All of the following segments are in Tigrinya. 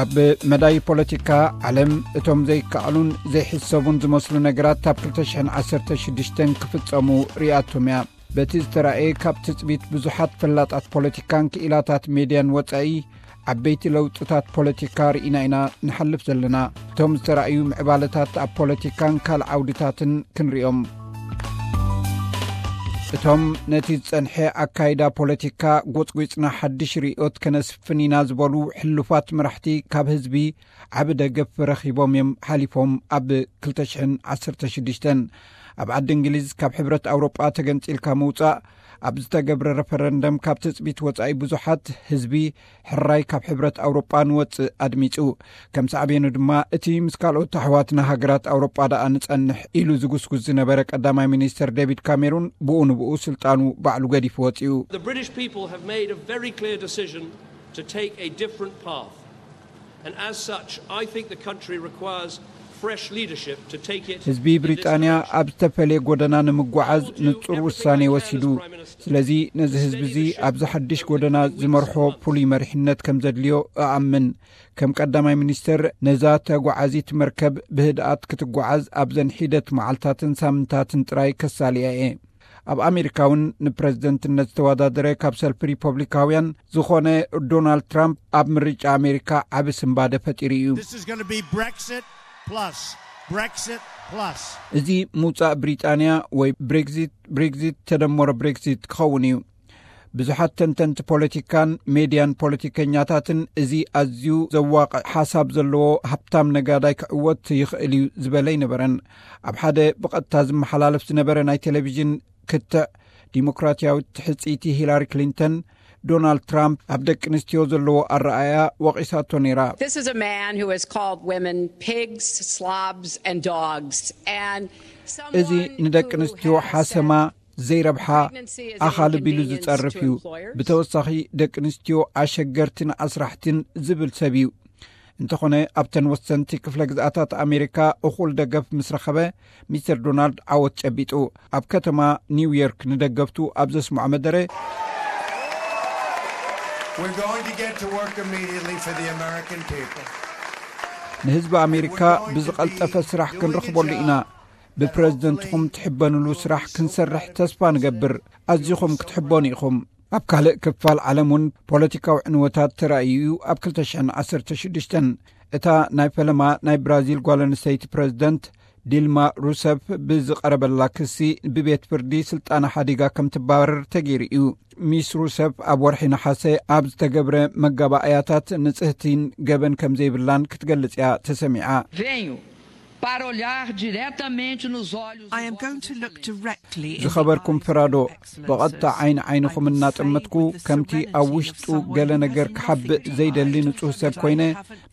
ኣብ መዳይ ፖለቲካ ዓለም፣ እቶም ዘይከኣሉን ዘይሕሰቡን ዝመስሉ ነገራት ኣብ ክልተ ሽሕን ዓሰርተ ሽዱሽተን ክፍጸሙ ርኢያቶም እያ። በቲ ዝተራእየ፣ ካብ ትጽቢት ብዙሓት ፈላጣት ፖለቲካን ክኢላታት ሜድያን ወጻኢ፣ ዓበይቲ ለውጥታት ፖለቲካ ርኢና ኢና ንሓልፍ ዘለና። እቶም ዝተራእዩ ምዕባለታት ኣብ ፖለቲካን ካልእ ዓውድታትን ክንሪኦም። እቶም ነቲ ዝጸንሐ ኣካይዳ ፖለቲካ ጎጽጒጽና ሓድሽ ርእዮት ከነስፍን ኢና ዝበሉ ሕሉፋት መራሕቲ፣ ካብ ህዝቢ ዓቢ ደገፍ ረኺቦም እዮም ሓሊፎም። ኣብ ክልተ ሽሕን ዓሰርተ ሽዱሽተን ኣብ ዓዲ እንግሊዝ ካብ ሕብረት ኣውሮጳ ተገንጺልካ ምውጻእ ኣብ ዝተገብረ ረፈረንደም፣ ካብ ትጽቢት ወጻኢ ብዙሓት ህዝቢ ሕራይ ካብ ሕብረት ኣውሮጳ ንወጽእ ኣድሚጹ። ከም ሳዕቤኑ ድማ፣ እቲ ምስ ካልኦት ኣሕዋትና ሃገራት ኣውሮጳ ደኣ ንጸንሕ ኢሉ ዝጉስጉስ ዝነበረ ቀዳማይ ሚኒስተር ዴቪድ ካሜሩን፣ ብኡ ንብኡ ስልጣኑ ባዕሉ ገዲፉ ወጺኡ። The British people have made a very clear decision to take a different path. And as such, I think the country requires fresh leadership to take it ህዝቢ ብሪጣንያ ኣብ ዝተፈለየ ጎደና ንምጓዓዝ ንጹር ውሳኔ ወሲዱ። ስለዚ ነዚ ህዝቢ እዚ ኣብዚ ሓድሽ ጎደና ዝመርሖ ፍሉይ መሪሕነት ከም ዘድልዮ እኣምን። ከም ቀዳማይ ሚኒስተር፣ ነዛ ተጓዓዚት መርከብ ብህድኣት ክትጓዓዝ ኣብዘን ሒደት መዓልታትን ሳምንታትን ጥራይ ከሳልያ እየ። ኣብ ኣሜሪካ እውን ንፕረዚደንትነት ዝተወዳደረ ካብ ሰልፊ ሪፐብሊካውያን ዝኾነ ዶናልድ ትራምፕ ኣብ ምርጫ ኣሜሪካ ዓቢ ስንባደ ፈጢሩ እዩ። This is going to be Brexit plus. Brexit plus. እዚ ምውጻእ ብሪጣንያ ወይ ብሬግዚት፣ ብሬግዚት ተደመሮ ብሬግዚት ክኸውን እዩ። ብዙሓት ተንተንቲ ፖለቲካን ሜድያን ፖለቲከኛታትን፣ እዚ ኣዝዩ ዘዋቕዕ ሓሳብ ዘለዎ ሃብታም ነጋዳይ ክዕወት ይኽእል እዩ ዝበለ ኣይነበረን። ኣብ ሓደ ብቐጥታ ዝመሓላለፍ ዝነበረ ናይ ቴሌቪዥን ክትዕ፣ ዲሞክራትያዊት ትሕጽይቲ ሂላሪ ክሊንተን፣ ዶናልድ ትራምፕ ኣብ ደቂ ኣንስትዮ ዘለዎ ኣረኣእያ ወቒሳቶ ነይራ። This is a man who has called women pigs, slobs, and dogs. And እዚ ንደቂ ኣንስትዮ ሓሰማ፣ ዘይረብሓ፣ ኣኻልብ ኢሉ ዝጸርፍ እዩ። ብተወሳኺ፣ ደቂ ኣንስትዮ ኣሸገርትን ኣስራሕትን ዝብል ሰብ እዩ። እንተኾነ፣ ኣብተን ወሰንቲ ክፍለ ግዝኣታት ኣሜሪካ እኹል ደገፍ ምስ ረኸበ፣ ሚስተር ዶናልድ ዓወት ጨቢጡ። ኣብ ከተማ ኒውዮርክ ንደገፍቱ ኣብ ዘስምዖ መደረ፣ We're going to get to work immediately for the American people. ንህዝቢ ኣሜሪካ ብዝቐልጠፈ ስራሕ ክንረኽበሉ ኢና። ብፕረዚደንትኹም ትሕበንሉ ስራሕ ክንሰርሕ ተስፋ ንገብር። ኣዚኹም ክትሕበኑ ኢኹም። ኣብ ካልእ ክፋል ዓለም እውን ፖለቲካዊ ዕንወታት ተራእዩ እዩ። ኣብ ክልተ ሽሕን ዓሰርተ ሽዱሽተን፣ እታ ናይ ፈለማ ናይ ብራዚል ጓል ኣንስተይቲ ፕረዚደንት ዲልማ ሩሰፍ ብዝቐረበላ ክሲ፣ ብቤት ፍርዲ ስልጣና ሓዲጋ ከም ትባረር ተገይሩ እዩ። ሚስ ሩሰፍ ኣብ ወርሒ ነሓሰ ኣብ ዝተገብረ መጋባእያታት ንጽህቲን ገበን ከም ዘይብላን ክትገልጽ እያ ተሰሚዓ። Venho para olhar diretamente nos olhos I do am going vosso to look Excelência. Directly in ዝኸበርኩም the eyes ፍራዶ፣ of Excellences. ብቐጥታ ዓይኒ ዓይንኹም እናጠመትኩ፣ ከምቲ ኣብ ውሽጡ ገለ ነገር ክሓብእ ዘይደሊ ንጹህ ሰብ ኮይነ፣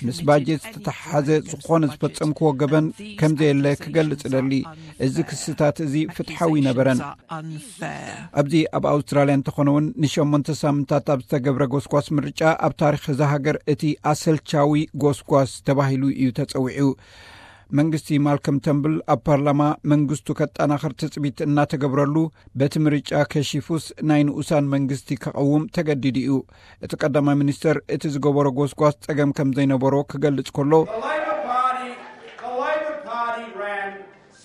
ምስ ባጀት ዝተተሓሓዘ ዝኾነ ዝፈጸምክዎ ገበን ከም ዘየለ ክገልጽ እደሊ። እዚ ክስታት እዚ ፍትሓዊ ኣይነበረን። ኣብዚ ኣብ ኣውስትራልያ እንተኾነ እውን፣ ንሸሞንተ ሳምንታት ኣብ ዝተገብረ ጎስጓስ ምርጫ፣ ኣብ ታሪኽ እዛ ሃገር እቲ ኣሰልቻዊ ጎስጓስ ተባሂሉ እዩ ተጸዊዑ። መንግስቲ ማልከም ተምብል ኣብ ፓርላማ መንግስቱ ከጠናኽር ትጽቢት እናተገብረሉ፣ በቲ ምርጫ ከሺፉስ፣ ናይ ንኡሳን መንግስቲ ከቐውም ተገዲዱ እዩ። እቲ ቀዳማይ ሚኒስተር እቲ ዝገበሮ ጎስጓስ ጸገም ከም ዘይነበሮ ክገልጽ ከሎ፣ The Labor Party, the Labor Party ran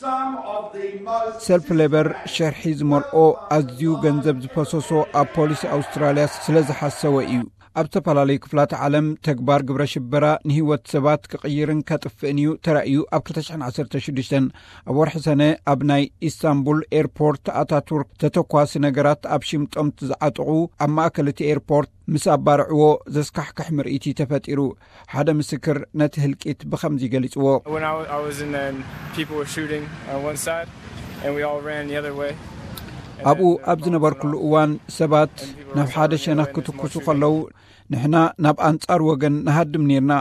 some of the most ሰልፊ ሌበር ሸርሒ ዝመልኦ፣ ኣዝዩ ገንዘብ ዝፈሰሶ ኣብ ፖሊሲ ኣውስትራልያ ስለ ዝሓሰወ እዩ። ኣብ ዝተፈላለዩ ክፍላት ዓለም፣ ተግባር ግብረ ሽበራ ንህይወት ሰባት ክቕይርን ከጥፍእን እዩ ተራእዩ። ኣብ ክልተ ሽሕን ዓሰርተ ሽዱሽተን ኣብ ወርሒ ሰነ፣ ኣብ ናይ ኢስታንቡል ኤርፖርት ኣታቱርክ፣ ተተኳሲ ነገራት ኣብ ሽምጦም ዝዓጠቑ፣ ኣብ ማእከል እቲ ኤርፖርት ምስ ኣባርዕዎ፣ ዘስካሕክሕ ምርኢት እዩ ተፈጢሩ። ሓደ ምስክር ነቲ ህልቂት ብኸምዚ ገሊጽዎ። When I, wa- I was in there and people were shooting on one side and we all ran the other way. And ኣብኡ then, uh, ኣብ ዝነበርኩሉ እዋን፣ ሰባት ናብ ሓደ ሸነኽ ክትኩሱ ከለዉ፣ ንሕና ናብ ኣንጻር ወገን ንሃድም ኔርና።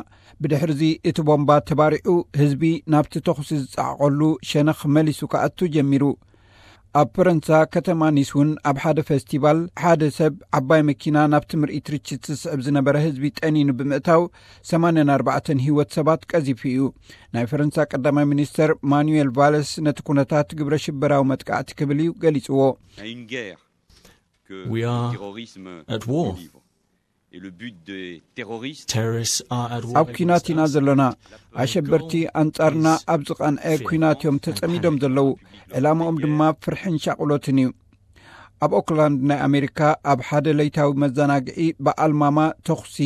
ብድሕርዚ እቲ ቦምባ ተባሪዑ፣ ህዝቢ ናብቲ ተኹሲ ዝጸዓቐሉ ሸነኽ መሊሱ ክኣቱ ጀሚሩ። ኣብ ፈረንሳ፣ ከተማ ኒስ እውን፣ ኣብ ሓደ ፈስቲቫል፣ ሓደ ሰብ ዓባይ መኪና ናብቲ ምርኢት ርችት ዝስዕብ ዝነበረ ህዝቢ ጠኒኑ ብምእታው፣ ሰማንያን ኣርባዕተን ህይወት ሰባት ቀዚፉ እዩ። ናይ ፈረንሳ ቀዳማይ ሚኒስተር ማኑኤል ቫለስ ነቲ ኩነታት ግብረ ሽበራዊ መጥቃዕቲ ክብል እዩ ገሊጽዎ። À une guerre que We le are terrorisme at war. délivre. Et le but des terroristes, Terrorists are at war ኣብ ኲናት ኢና ዘለና። ኣሸበርቲ ኣንጻርና ኣብ ዝቐንዐ ኲናት እዮም ተጸሚዶም ዘለዉ። ዕላማኦም ድማ ፍርሕን ሻቕሎትን እዩ። ኣብ ኦክላንድ ናይ ኣሜሪካ ኣብ ሓደ ለይታዊ መዘናግዒ ብኣልማማ ተኹሲ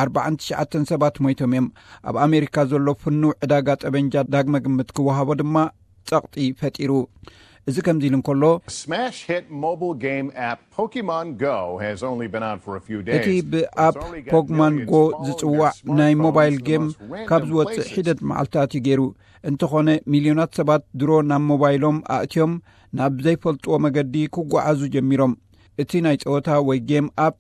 ኣርባዓን ትሽዓተን ሰባት ሞይቶም እዮም። ኣብ ኣሜሪካ ዘሎ ፍኑው ዕዳጋ ጠበንጃ ዳግመ ግምት ክወሃቦ ድማ ጸቕጢ ፈጢሩ። እዚ ከምዚ ኢሉ እንከሎ፣ Smash hit mobile game app Pokemon Go has only been out for a few እቲ days. ብኣፕ ፖክማን ጎ ዝጽዋዕ ናይ ሞባይል ጌም ካብ ዝወፅእ ሒደት መዓልታት እዩ ገይሩ። እንተኾነ፣ ሚልዮናት ሰባት ድሮ ናብ ሞባይሎም ኣእትዮም ናብ ዘይፈልጥዎ መገዲ ክጓዓዙ ጀሚሮም። እቲ ናይ ጸወታ ወይ ጌም ኣፕ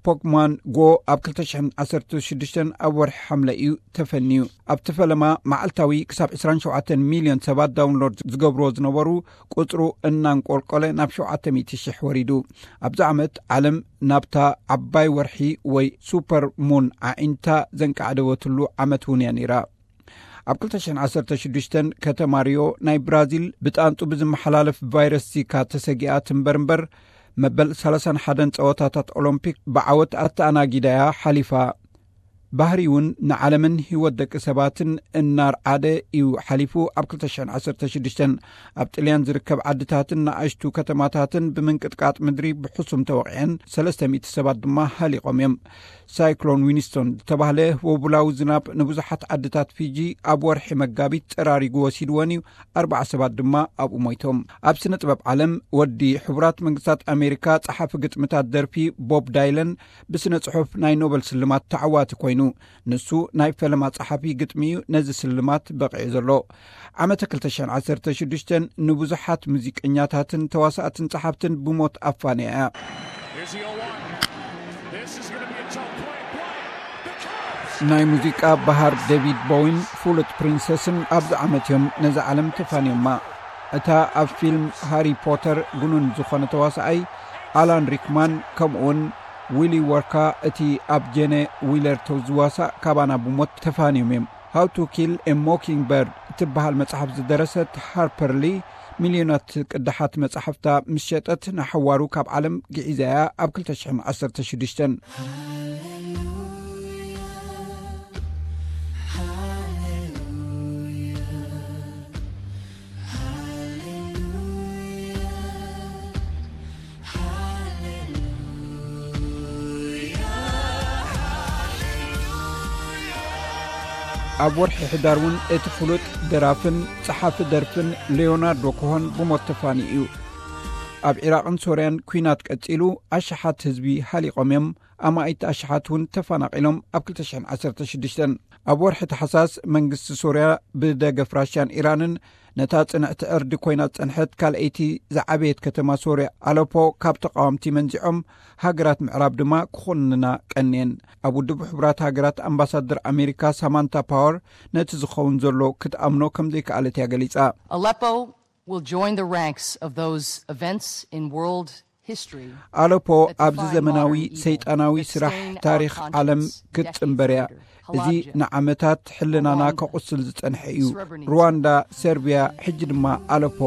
ፖክማን ጎ ኣብ ክልተ ሽሕን ዓሰርተ ሽዱሽተን ኣብ ወርሒ ሓምለ እዩ ተፈንዩ። ኣብቲ ፈለማ፣ መዓልታዊ ክሳብ ዕስራን ሸውዓተን ሚልዮን ሰባት ዳውንሎድ ዝገብርዎ ዝነበሩ፣ ቁጽሩ እናንቆልቆለ ናብ ሸውዓተ ሚእቲ ሽሕ ወሪዱ። ኣብዚ ዓመት፣ ዓለም ናብታ ዓባይ ወርሒ ወይ ሱፐር ሙን ዓዒንታ ዘንቃዕደወትሉ ዓመት እውን እያ ነይራ። ኣብ ክልተ ሽሕን ዓሰርተ ሽዱሽተን፣ ከተማ ሪዮ ናይ ብራዚል ብጣንጡ ብዝመሓላለፍ ቫይረስ ዚካ ተሰጊኣ ትንበር እምበር፣ መበል ሰላሳን ሓደን ጸወታታት ኦሎምፒክ ብዓወት ኣተኣናጊዳያ ሓሊፋ። ባህሪ እውን ንዓለምን ህይወት ደቂ ሰባትን እናርዓደ እዩ ሓሊፉ። ኣብ ክልተ ሽሕን ዓሰርተ ሽዱሽተን፣ ኣብ ጥልያን ዝርከብ ዓድታትን ንኣሽቱ ከተማታትን ብምንቅጥቃጥ ምድሪ ብሕሱም ተወቒዐን፣ ሰለስተ ሚእቲ ሰባት ድማ ሃሊቖም እዮም። ሳይክሎን ዊንስቶን ዝተባህለ ህቦቡላዊ ዝናብ ንብዙሓት ዓድታት ፊጂ ኣብ ወርሒ መጋቢት ጸራሪጉ ወሲድወን እዩ። ኣርባዓ ሰባት ድማ ኣብኡ ሞይቶም። ኣብ ስነ ጥበብ ዓለም፣ ወዲ ሕቡራት መንግስታት ኣሜሪካ፣ ጸሓፊ ግጥምታት ደርፊ ቦብ ዳይለን ብስነ ጽሑፍ ናይ ኖበል ስልማት ተዓዋቲ ኮይኑ፣ ንሱ ናይ ፈለማ ጸሓፊ ግጥሚ እዩ ነዚ ስልማት በቒዑ ዘሎ። ዓመተ ክልተ ሽሕን ዓሰርተ ሽዱሽተን ንብዙሓት ሙዚቀኛታትን ተዋሳእትን ጸሓፍትን ብሞት ኣፋንያ እያ። ናይ ሙዚቃ በሃር ዴቪድ ቦዊን ፍሉጥ ፕሪንሰስን ኣብዚ ዓመት እዮም ነዚ ዓለም ተፋንዮማ። እታ ኣብ ፊልም ሃሪ ፖተር ግኑን ዝኾነ ተዋሳኣይ ኣላን ሪክማን፣ ከምኡውን ዊሊ ወርካ፣ እቲ ኣብ ጄነ ዊለር ዝዋሳእ ካባና ብሞት ተፋንዮም እዮም። ሃው ቱ ኪል ኤ ሞኪንግ በርድ እትበሃል መጽሓፍ ዝደረሰት ሃርፐር ሊ፣ ሚልዮናት ቅዳሓት መጽሓፍታ ምስ ሸጠት፣ ንሓዋሩ ካብ ዓለም ግዒዛ እያ ኣብ ክልተ ሽሕን ዓሰርተ ሽዱሽተን። ኣብ ወርሒ ሕዳር እውን እቲ ፍሉጥ ደራፍን ጸሓፊ ደርፍን ሌዮናርዶ ኮሆን ብሞት ተፋንዩ እዩ። ኣብ ዒራቕን ሶርያን ኲናት ቀጺሉ፣ ኣሽሓት ህዝቢ ሃሊቖም እዮም። ኣማኢት ኣሽሓት እውን ተፈናቒሎም። ኣብ ክልተ ሽሕን ዓሰርተ ሽዱሽተን፣ ኣብ ወርሒ ታሕሳስ፣ መንግስቲ ሶርያ ብደገፍ ራሽያን ኢራንን ነታ ጽንዕቲ ዕርዲ ኮይና ዝጸንሐት ካልኣይቲ ዝዓበየት ከተማ ሶርያ ኣለፖ ካብ ተቃወምቲ መንዚዖም፣ ሃገራት ምዕራብ ድማ ክኾንና ቀንየን። ኣብ ውድብ ሕቡራት ሃገራት ኣምባሳደር ኣሜሪካ ሳማንታ ፓወር ነቲ ዝኸውን ዘሎ ክትኣምኖ ከም ዘይከኣለት እያ ገሊጻ። Aleppo will join the ranks of those events in world history. ኣለፖ ኣብዚ ዘመናዊ ሰይጣናዊ ስራሕ ታሪኽ ዓለም ክትጽንበር እያ። እዚ ንዓመታት ሕልናና ከቑስል ዝጸንሐ እዩ። ሩዋንዳ፣ ሰርቢያ፣ ሕጂ ድማ ኣለፖ።